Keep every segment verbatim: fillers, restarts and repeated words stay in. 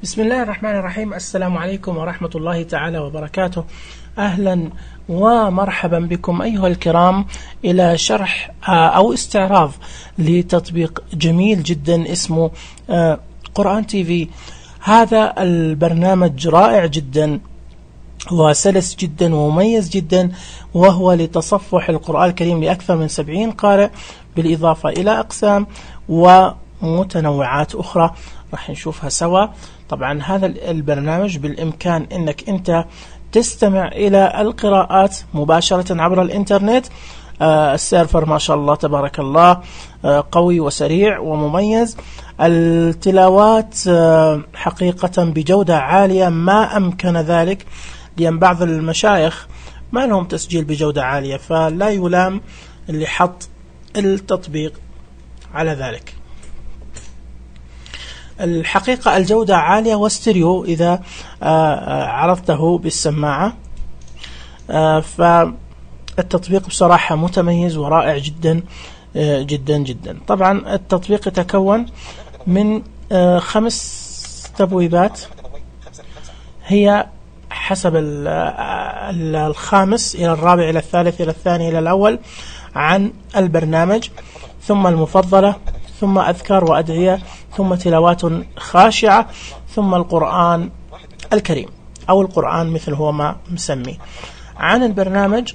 بسم الله الرحمن الرحيم. السلام عليكم ورحمة الله تعالى وبركاته. أهلا ومرحبا بكم أيها الكرام إلى شرح أو استعراض لتطبيق جميل جدا اسمه قرآن تي في. هذا البرنامج رائع جدا وسلس جدا ومميز جدا، وهو لتصفح القرآن الكريم لأكثر من سبعين قارئ، بالإضافة إلى أقسام ومتنوعات أخرى راح نشوفها سوا. طبعا هذا البرنامج بالإمكان أنك أنت تستمع إلى القراءات مباشرة عبر الإنترنت. آه السيرفر ما شاء الله تبارك الله آه قوي وسريع ومميز. التلاوات آه حقيقة بجودة عالية ما أمكن ذلك، لأن بعض المشايخ ما لهم تسجيل بجودة عالية، فلا يلام اللي حط التطبيق على ذلك. الحقيقة الجودة عالية واستريو إذا عرضته بالسماعة، فالتطبيق بصراحة متميز ورائع جدا جدا جدا. طبعا التطبيق يتكون من خمس تبويبات، هي حسب الخامس إلى الرابع إلى الثالث إلى الثاني إلى الأول عن البرنامج، ثم المفضلة، ثم أذكار وأدعية، ثم تلاوات خاشعة، ثم القرآن الكريم أو القرآن مثل هو ما مسمي. عن البرنامج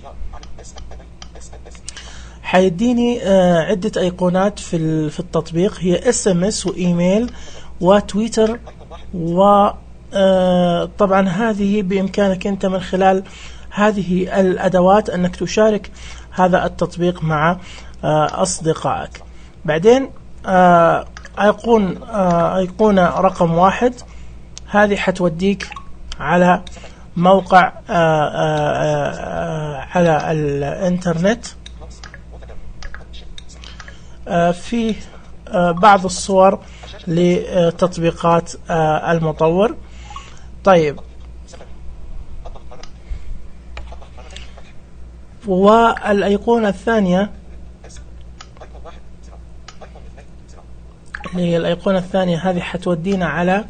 حيديني عدة أيقونات في في التطبيق، هي اس ام اس وإيميل وتويتر، وطبعا هذه بإمكانك أنت من خلال هذه الأدوات أنك تشارك هذا التطبيق مع أصدقائك. بعدين أيقون أيقونة رقم واحد، هذه حتوديك على موقع على الإنترنت فيه بعض الصور لتطبيقات المطور. طيب، والأيقونة الثانية هي الأيقونة الثانية، هذه حتودينا على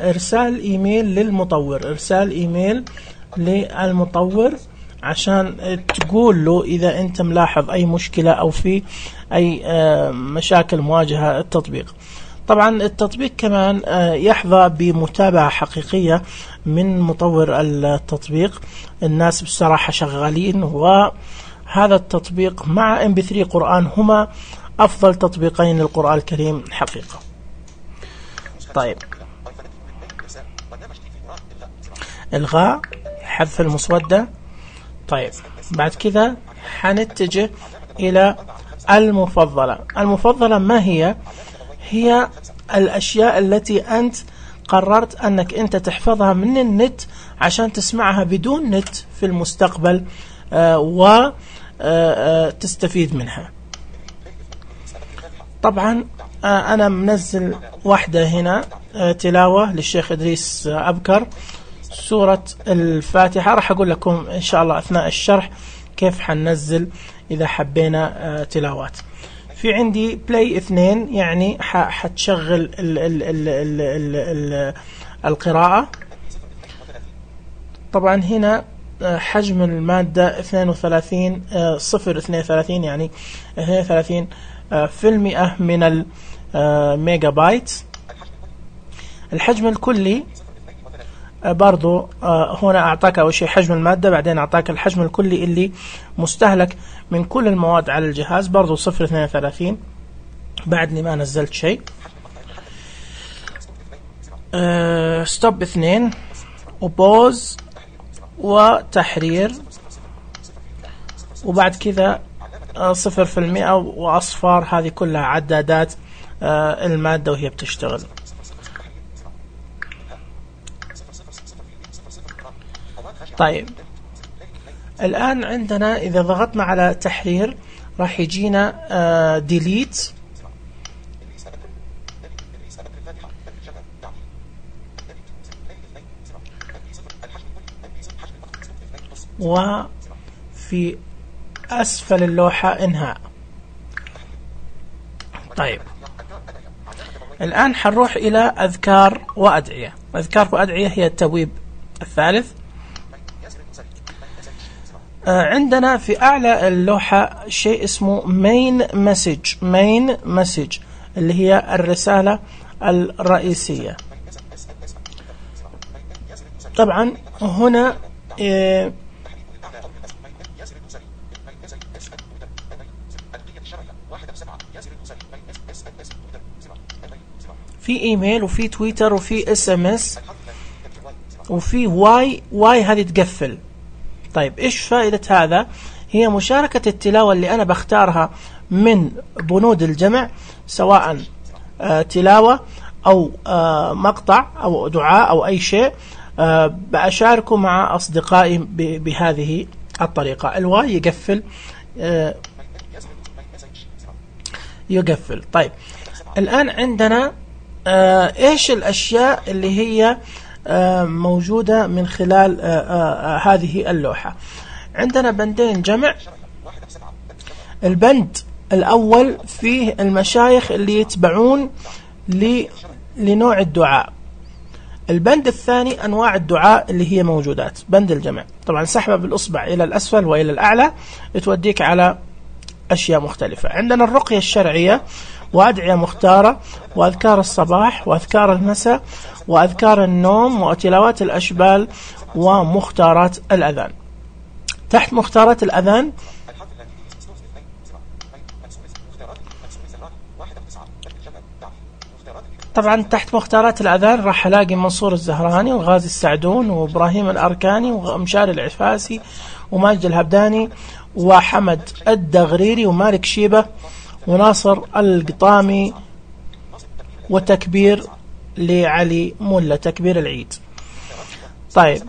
إرسال إيميل للمطور، إرسال إيميل للمطور عشان تقول له إذا أنت ملاحظ أي مشكلة أو في أي مشاكل مواجهة التطبيق. طبعا التطبيق كمان يحظى بمتابعة حقيقية من مطور التطبيق، الناس بصراحة شغالين، وهذا التطبيق مع إم بي ثري قرآن هما أفضل تطبيقين للقرآن الكريم حقيقة. طيب، إلغاء حذف المسودة. طيب، بعد كذا حنتجه إلى المفضلة. المفضلة ما هي؟ هي الأشياء التي أنت قررت أنك أنت تحفظها من النت عشان تسمعها بدون نت في المستقبل آه وتستفيد منها. طبعا أنا منزل واحدة هنا تلاوة للشيخ إدريس أبكر، سورة الفاتحة. راح أقول لكم إن شاء الله أثناء الشرح كيف حننزل إذا حبينا تلاوات. في عندي بلاي اثنين، يعني حتشغل ال ال ال ال ال ال القراءة. طبعا هنا حجم المادة اثنين وثلاثين صفر اثنين وثلاثين، يعني اثنين وثلاثين في المئة من الميجا بايت. الحجم الكلي برضو هنا أعطاك أول شيء حجم المادة، بعدين أعطاك الحجم الكلي اللي مستهلك من كل المواد على الجهاز، برضو صفر اثنين وثلاثين. بعدني ما نزلت شيء. أه ستوب اثنين، وبوز، وتحرير، وبعد كذا صفر في المئة وأصفار. هذه كلها عدادات آه المادة وهي بتشتغل. طيب، الآن عندنا إذا ضغطنا على تحرير راح يجينا آه ديليت، وفي أسفل اللوحة إنهاء. طيب، الآن حنروح إلى أذكار وأدعية. أذكار وأدعية هي التبويب الثالث. عندنا في أعلى اللوحة شيء اسمه main message main message اللي هي الرسالة الرئيسية. طبعا هنا إيه في ايميل وفي تويتر وفي اس ام اس وفي واي واي هذه تقفل. طيب ايش فائدة هذا؟ هي مشاركة التلاوة اللي انا بختارها من بنود الجمع، سواء آه تلاوة او آه مقطع او دعاء او اي شيء، آه بأشاركه مع اصدقائي بهذه الطريقة. الواي يقفل آه يقفل. طيب الان عندنا آه ايش الاشياء اللي هي آه موجودة من خلال آه آه هذه اللوحة. عندنا بندين جمع. البند الاول فيه المشايخ اللي يتبعون لنوع الدعاء. البند الثاني انواع الدعاء اللي هي موجودات. بند الجمع طبعا سحبة بالاصبع الى الاسفل والى الاعلى توديك على اشياء مختلفة. عندنا الرقية الشرعية وأدعية مختارة وأذكار الصباح وأذكار المساء وأذكار النوم وتلاوات الأشبال ومختارات الأذان. تحت مختارات الأذان طبعا تحت مختارات الأذان راح ألاقي منصور الزهراني وغازي السعدون وإبراهيم الأركاني ومشاري العفاسي وماجد الهبداني وحمد الدغريري ومالك شيبة وناصر القطامي وتكبير لعلي ملا تكبير العيد. طيب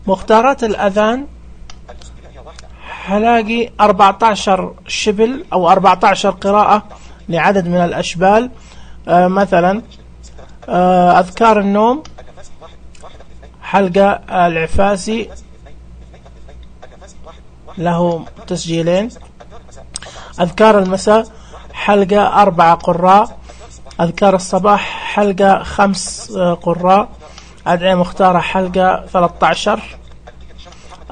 مختارات الأذان هلاقي أربعة عشر شبل أو أربعة عشر قراءة لعدد من الأشبال. آه مثلا آه أذكار النوم حلقة العفاسي له تسجيلين. أذكار المساء حلقة أربعة قراء. أذكار الصباح حلقة خمس قراء. أدعية مختارة حلقة ثلاثة عشر.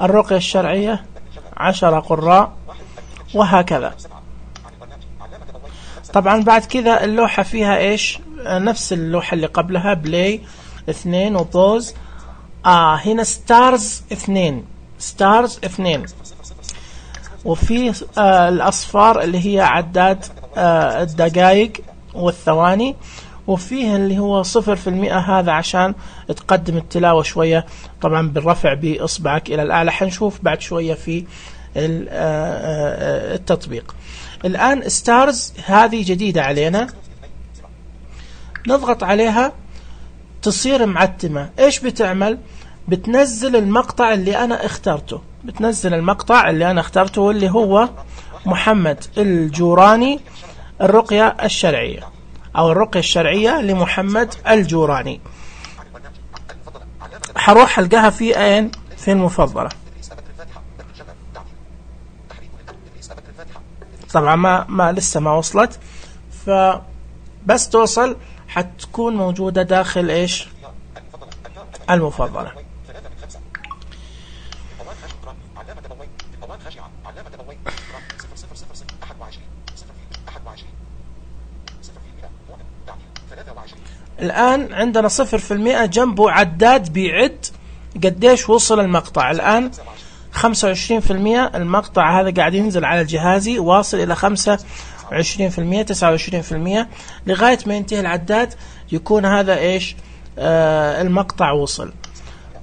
الرقية الشرعية عشرة قراء وهكذا. طبعا بعد كذا اللوحة فيها إيش؟ نفس اللوحة اللي قبلها بلاي اثنين وبوز. آه هنا ستارز اثنين ستارز اثنين وفي آه الأصفار اللي هي عداد آه الدقائق والثواني، وفيه اللي هو صفر في المئة هذا عشان تقدم التلاوة شوية طبعا بالرفع بإصبعك إلى الأعلى. حنشوف بعد شوية في التطبيق. الآن ستارز هذه جديدة علينا، نضغط عليها تصير معتمة. إيش بتعمل؟ بتنزل المقطع اللي أنا اخترته بتنزل المقطع اللي أنا اخترته واللي هو محمد الجوراني الرقية الشرعية أو الرقية الشرعية لمحمد الجوراني. حروح ألقاها في أين؟ في المفضلة. طبعا ما, ما لسه ما وصلت، فبس توصل حتكون موجودة داخل إيش؟ المفضلة. الآن عندنا صفر في المئة جنبه عداد بيعد قديش وصل المقطع. الآن خمسة وعشرين في المئة المقطع هذا قاعد ينزل على جهازي واصل إلى خمسة وعشرين في المئة تسعة وعشرين في المئة لغاية ما ينتهي العداد يكون هذا إيش؟ آه المقطع وصل.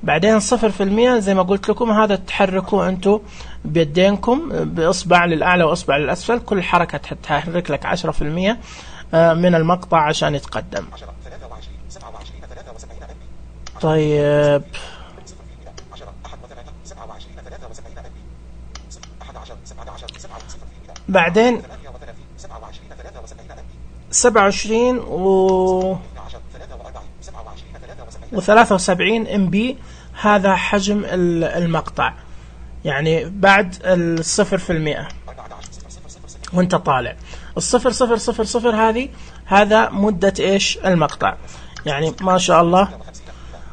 بعدين صفر في المئة زي ما قلت لكم هذا تحركوا أنتوا بيدينكم بإصبع للأعلى وإصبع للأسفل. كل حركة تحرك لك عشرة في المئة آه من المقطع عشان يتقدم. طيب بعدين سبعة وعشرين و وثلاثة وسبعين ام بي هذا حجم المقطع، يعني بعد الصفر في المئة وانت طالع. الصفر صفر صفر صفر هذه هذا مدة إيش المقطع، يعني ما شاء الله.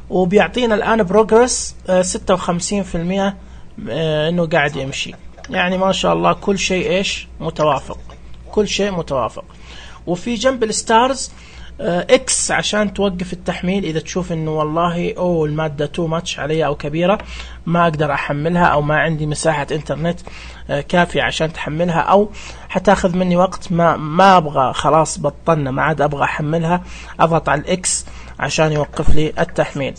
وبيعطينا الآن بروجرس ستة وخمسين بالمئة إنه قاعد يمشي، يعني ما شاء الله كل شيء إيش متوافق، كل شيء متوافق. وفي جنب الستارز اكس عشان توقف التحميل إذا تشوف إنه والله أو المادة تو ماتش علي أو كبيرة ما أقدر أحملها، أو ما عندي مساحة إنترنت كافية عشان تحملها، أو حتاخذ مني وقت ما ما أبغى، خلاص بطلنا ما عاد أبغى أحملها، أضغط على الإكس عشان يوقف لي التحميل.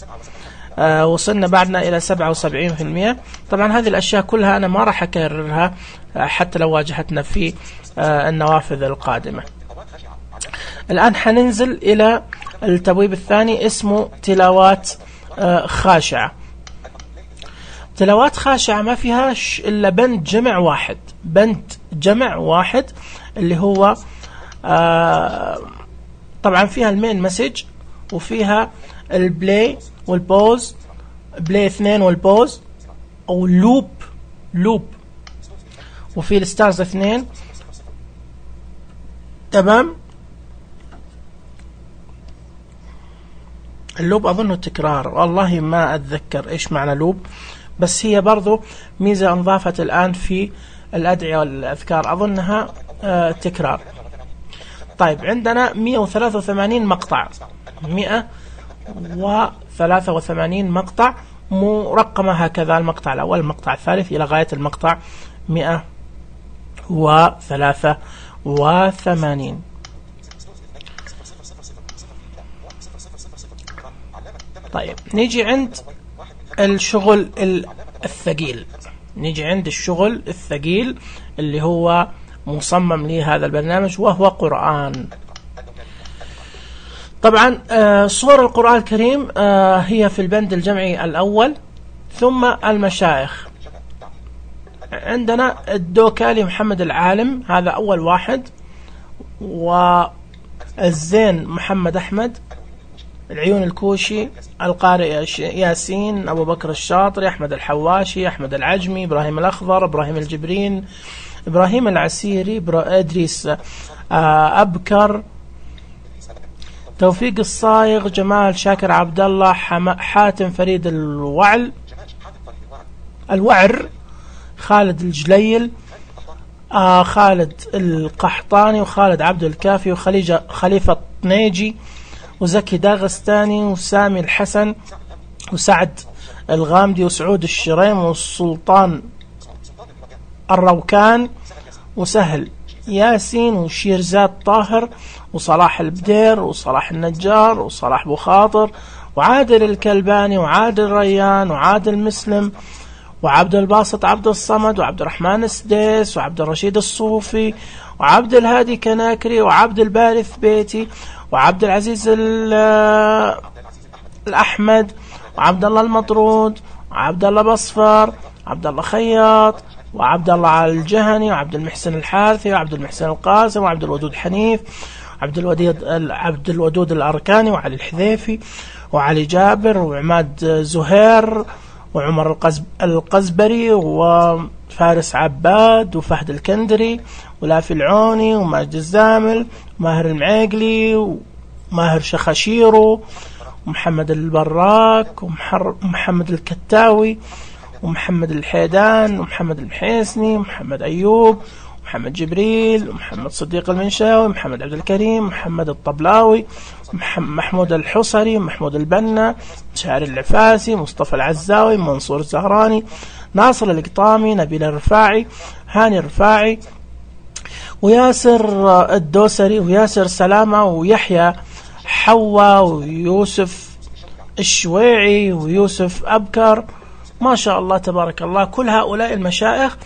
آه وصلنا بعدنا إلى سبعة وسبعين بالمئة. طبعا هذه الأشياء كلها أنا ما راح أكررها آه حتى لو واجهتنا في آه النوافذ القادمة. الآن حننزل إلى التبويب الثاني اسمه تلاوات آه خاشعة. تلاوات خاشعة ما فيهاش إلا بند جمع واحد، بند جمع واحد اللي هو آه طبعا فيها المين مسج، وفيها البلاي والبوز، بلاي اثنين والبوز، او لوب لوب، وفي الستارز اثنين. تمام. اللوب اظنه تكرار، والله ما اتذكر ايش معنى لوب، بس هي برضو ميزة انضافت الان في الادعية والاذكار، اظنها آه تكرار. طيب عندنا مئة وثلاثة وثمانين مقطع، مئة وثلاثة وثمانين مقطع مرقمة هكذا، المقطع الأول المقطع الثالث إلى غاية المقطع مئة وثلاثة وثمانين. طيب نيجي عند الشغل الثقيل، نيجي عند الشغل الثقيل اللي هو مصمم لي هذا البرنامج، وهو قرآن. طبعا آه صور القرآن الكريم آه هي في البند الجمعي الأول، ثم المشايخ. عندنا الدوكالي محمد العالم، هذا أول واحد، والزين محمد أحمد، العيون الكوشي، القارئ ياسين، أبو بكر الشاطري، أحمد الحواشي، أحمد العجمي، إبراهيم الأخضر، إبراهيم الجبرين، إبراهيم العسيري، إدريس آه أبكر، توفيق الصايغ، جمال شاكر عبد الله، حاتم فريد الوعل الوعر، خالد الجليل، آه خالد القحطاني، وخالد عبد الكافي، وخليجة خليفة الطنيجي، وزكي داغستاني، وسامي الحسن، وسعد الغامدي، وسعود الشريم، والسلطان الروكان، وسهل ياسين، وشيرزاد طاهر، وصلاح البدير، وصلاح النجار، وصلاح بخاطر، وعادل الكلباني، وعادل ريان، وعادل مسلم، وعبد الباسط عبد الصمد، وعبد الرحمن السديس، وعبد الرشيد الصوفي، وعبد الهادي كناكري، وعبد البارث بيتي، وعبد العزيز الأحمد، وعبد الله المطرود، وعبد الله بصفر، وعبد الله خياط، وعبد الله الجهني، وعبد المحسن الحارثي، وعبد المحسن القاسم، وعبد الودود حنيف، وعبد الوديد عبد الودود الأركاني، وعلي الحذيفي، وعلي جابر، وعماد زهير، وعمر القزبري، وفارس عباد، وفهد الكندري، ولافي العوني، وماجد الزامل، وماهر المعيقلي، وماهر شخشيرو، ومحمد البراك، ومحمد الكتاوي، ومحمد الحيدان، ومحمد المحيسني، ومحمد أيوب، ومحمد جبريل، ومحمد صديق المنشاوي، ومحمد عبد الكريم، ومحمد الطبلاوي، محمود الحصري، ومحمود البنا، شاعر العفاسي، مصطفى العزاوي، منصور الزهراني، ناصر القطامي، نبيل الرفاعي، هاني الرفاعي، وياسر الدوسري، وياسر سلامة، ويحيى حوا، ويوسف الشويعي، ويوسف أبكر. ما شاء الله تبارك الله. كل هؤلاء المشايخ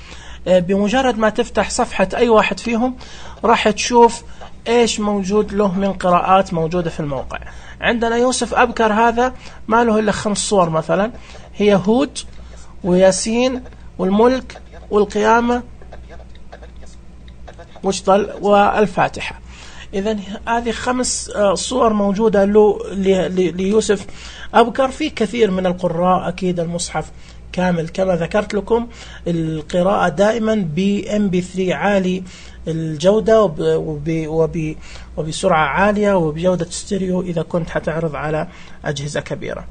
بمجرد ما تفتح صفحة أي واحد فيهم راح تشوف إيش موجود له من قراءات موجودة في الموقع. عندنا يوسف أبكر هذا ما له إلا خمس صور مثلا، هي هود، وياسين، والملك، والقيامة، واشطل، والفاتحة. إذن هذه خمس صور موجودة له ليوسف أبكر. في كثير من القراء أكيد المصحف كامل كما ذكرت لكم، القراءة دائما ب إم بي ثري عالي الجودة وب وبسرعة عالية وبجودة ستيريو إذا كنت حتعرض على أجهزة كبيرة.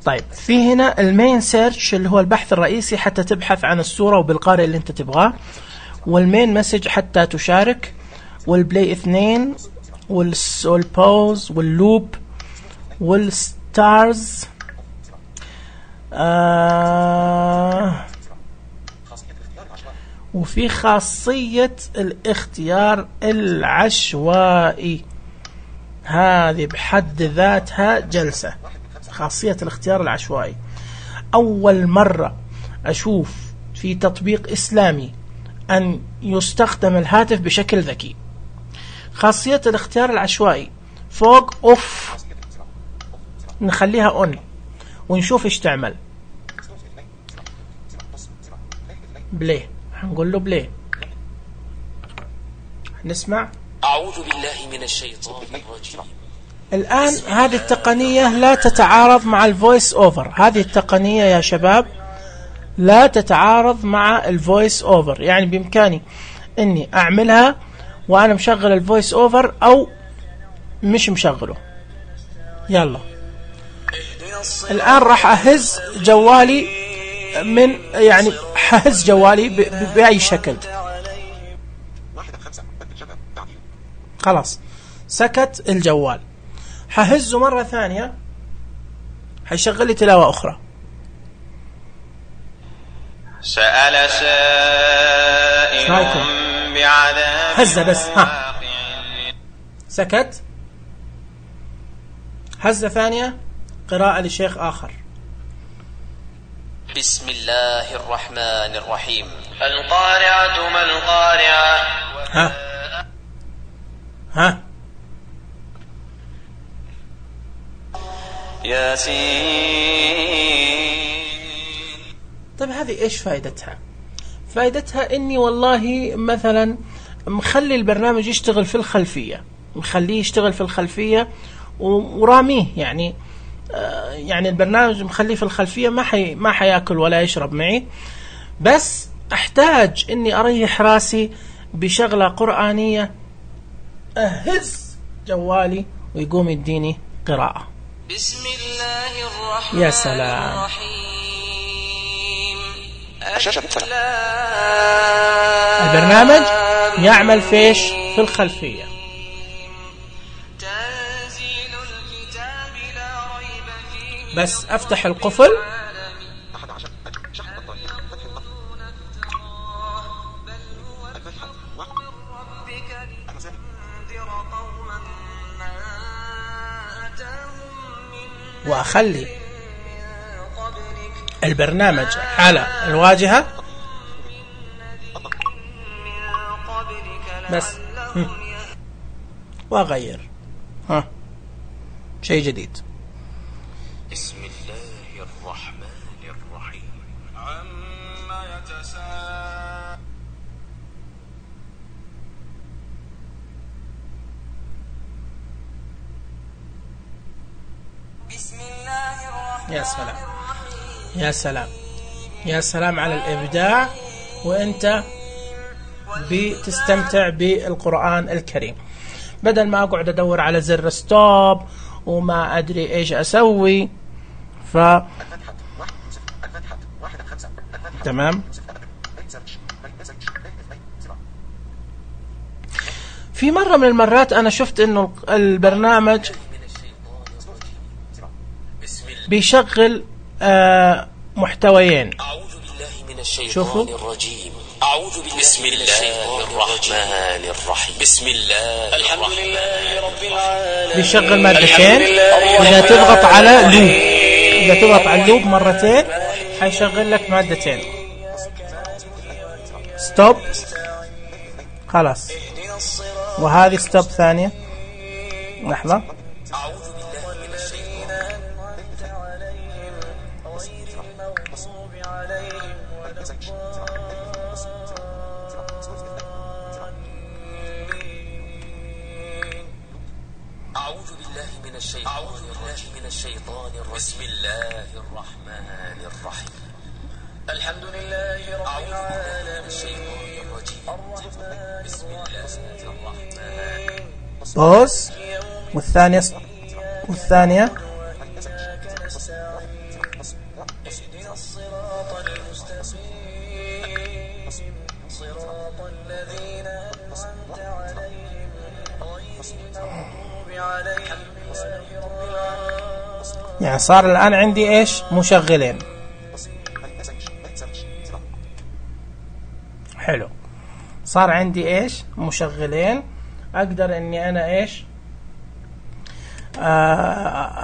طيب في هنا المين سيرش اللي هو البحث الرئيسي حتى تبحث عن الصورة وبالقارئ اللي انت تبغاه، والمين مسج حتى تشارك، والبلاي اثنين، والبوز، واللوب، والستارز، آه وفي خاصية الاختيار العشوائي، هذه بحد ذاتها جلسة. خاصية الاختيار العشوائي أول مرة أشوف في تطبيق إسلامي أن يستخدم الهاتف بشكل ذكي. خاصية الاختيار العشوائي فوق أوف نخليها أون ونشوف إيش تعمل. بلاي، هنقول له بلاي، نسمع. أعوذ بالله من الشيطان الرجيم. الآن هذه التقنية لا تتعارض مع الفويس أوفر. هذه التقنية يا شباب لا تتعارض مع الفويس أوفر، يعني بإمكاني أني أعملها وأنا مشغل الفويس أوفر أو مش مشغله. يلا الآن راح أهز جوالي من يعني أهز جوالي بأي شكل. خلاص سكت الجوال، ههزه مرة ثانية هيشغل لي تلاوة أخرى. سأل سائل بعذاب هزة بس، ها سكت. هزة ثانية قراءة لشيخ آخر. بسم الله الرحمن الرحيم. القارعة ما القارعة. ها ها ياسين. طيب هذه ايش فائدتها؟ فائدتها اني والله مثلا مخلي البرنامج يشتغل في الخلفية، مخليه يشتغل في الخلفية وراميه، يعني آه يعني البرنامج مخليه في الخلفية ما حي ما حياكل ولا يشرب معي، بس احتاج اني اريح راسي بشغلة قرآنية، اهز جوالي ويقوم يديني قراءة. بسم الله الرحمن يا سلام. الرحيم. البرنامج يعمل فيش في الخلفية. تنزيل الكتاب لا ريب فيه. بس افتح القفل وأخلي البرنامج على الواجهة بس وأغير. ها شيء جديد. بسم الله الرحمن الرحيم. عما يتساءل. بسم الله الرحمن يا سلام يا سلام يا سلام على الإبداع، وأنت بتستمتع بالقرآن الكريم بدل ما أقعد أدور على زر ستوب وما أدري إيش أسوي. ف تمام. في مرة من المرات أنا شفت إنه البرنامج بيشغل آه محتويين. أعوذ بالله من الشيطان شوفوا. الرجيم. أعوذ بالله بسم الله الرحمن الرحيم. بسم الله الحمد لله رب العالمين. بيشغل مادتين، إذا تضغط على لوب إذا تضغط على اللوب مرتين حيشغل لك مادتين. ستوب خلاص، وهذه ستوب ثانية. لحظة. أعوذ بالله من الشيطان أعوذ بالله من الشيطان الرجيم. بسم الله الرحمن الرحيم. الحمد لله رب العالمين الرحمن الرحيم بوز. والثانية والثانية اهدنا الصراط المستقيم صراط الذين أنعمت عليهم غير المغضوب عليهم ولا الضالين. يعني صار الآن عندي إيش؟ مشغلين. حلو. صار عندي إيش؟ مشغلين. أقدر إني أنا إيش؟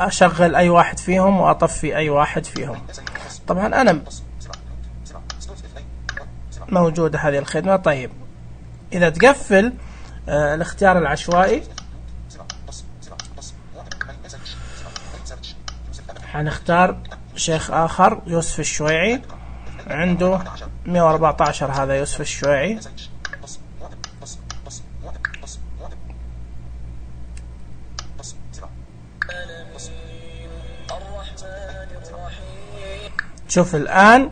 أشغل أي واحد فيهم وأطفي أي واحد فيهم. طبعا أنا موجودة هذه الخدمة. طيب إذا تقفل آه الاختيار العشوائي حنختار شيخ آخر يوسف الشويعي، عنده مئة وأربعة عشر. هذا يوسف الشويعي. شوف الآن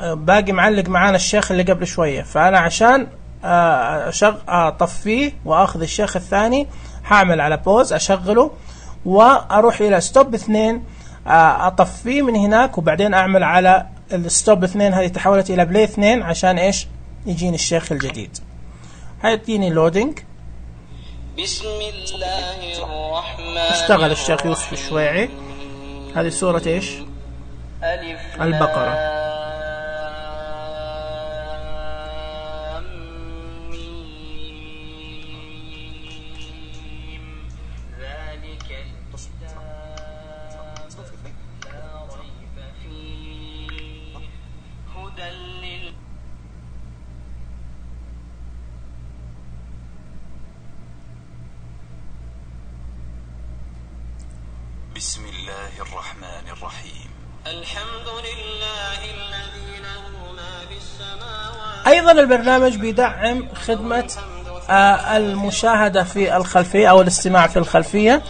باقي معلق معانا الشيخ اللي قبل شوية، فأنا عشان أشغل أطفيه وأخذ الشيخ الثاني هعمل على بوز، أشغله وأروح إلى ستوب اثنين، أطفيه من هناك، وبعدين أعمل على الستوب اثنين هذه تحولت إلى بلاي اثنين عشان إيش يجيني الشيخ الجديد. هيديني لودينج. بسم الله الرحمن اشتغل الشيخ يوسف الشويعي. هذه سورة إيش؟ البقرة. ذلك الكتاب لا ريب فيه هدى لل بسم الله الرحمن الرحيم. الحمد لله الذي له ما في السماوات. أيضا البرنامج بيدعم خدمة آه المشاهدة في الخلفية أو الاستماع في الخلفية،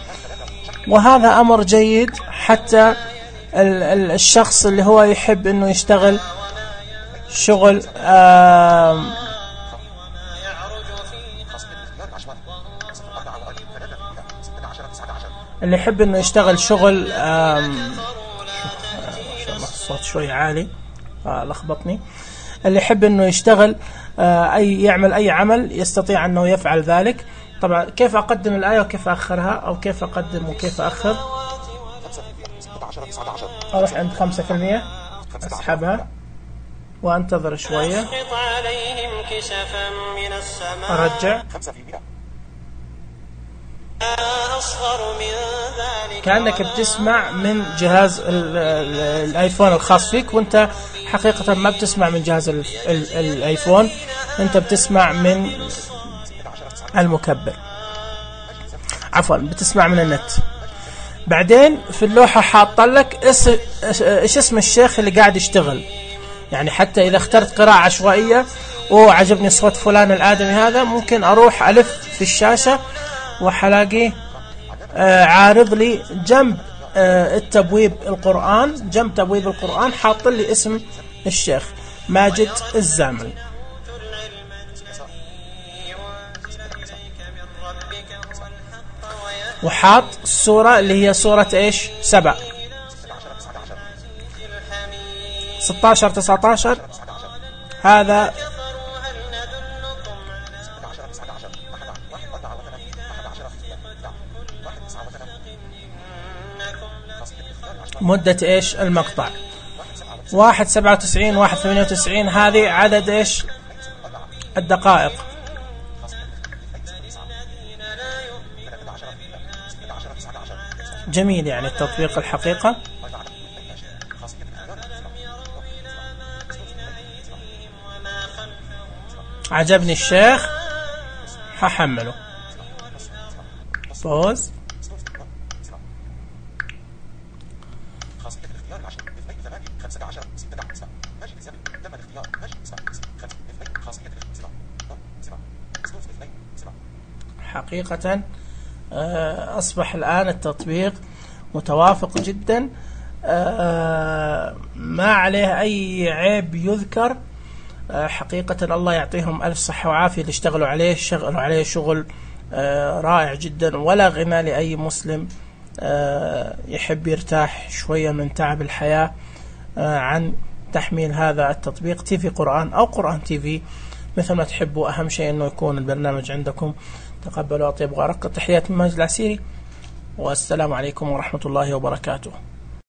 وهذا أمر جيد حتى الشخص اللي هو يحب أنه يشتغل شغل آه اللي يحب أنه يشتغل شغل آه الصوت شوي عالي آه لخبطني. اللي يحب انه يشتغل آه اي يعمل اي عمل يستطيع انه يفعل ذلك. طبعا كيف اقدم الايه وكيف اخرها، او كيف اقدم وكيف اخر. اروح عند خمسة في المئة اسحبها وانتظر شويه، ارجع. كأنك بتسمع من جهاز الايفون الخاص فيك، وانت حقيقة ما بتسمع من جهاز الايفون، انت بتسمع من المكبر، عفوا بتسمع من النت. بعدين في اللوحة حاط لك ايش اسم الشيخ اللي قاعد يشتغل، يعني حتى اذا اخترت قراءة عشوائية وعجبني صوت فلان الآدمي هذا، ممكن اروح الف في الشاشة وحلاقي آه عارض لي جنب آه التبويب القرآن، جنب تبويب القرآن حاط لي اسم الشيخ ماجد الزامل. وحاط السورة اللي هي سورة ايش؟ سبع. ستة عشر تسعة عشر هذا مدة ايش المقطع. واحد سبعة وتسعين واحد ثمانية وتسعين هذه عدد ايش الدقائق. جميل يعني التطبيق الحقيقة. عجبني الشيخ هحمله. بوز. حقيقة أصبح الآن التطبيق متوافق جدا ما عليه أي عيب يذكر. حقيقة الله يعطيهم ألف صحة وعافية اللي اشتغلوا عليه، اشتغلوا عليه شغل رائع جدا، ولا غنى لأي مسلم يحب يرتاح شوية من تعب الحياة عن تحميل هذا التطبيق تي في قرآن أو قرآن تي في مثل ما تحبوا. أهم شيء أنه يكون البرنامج عندكم. تقبلوا أطيب وأرق تحيات من ماجد العسيري، والسلام عليكم ورحمة الله وبركاته.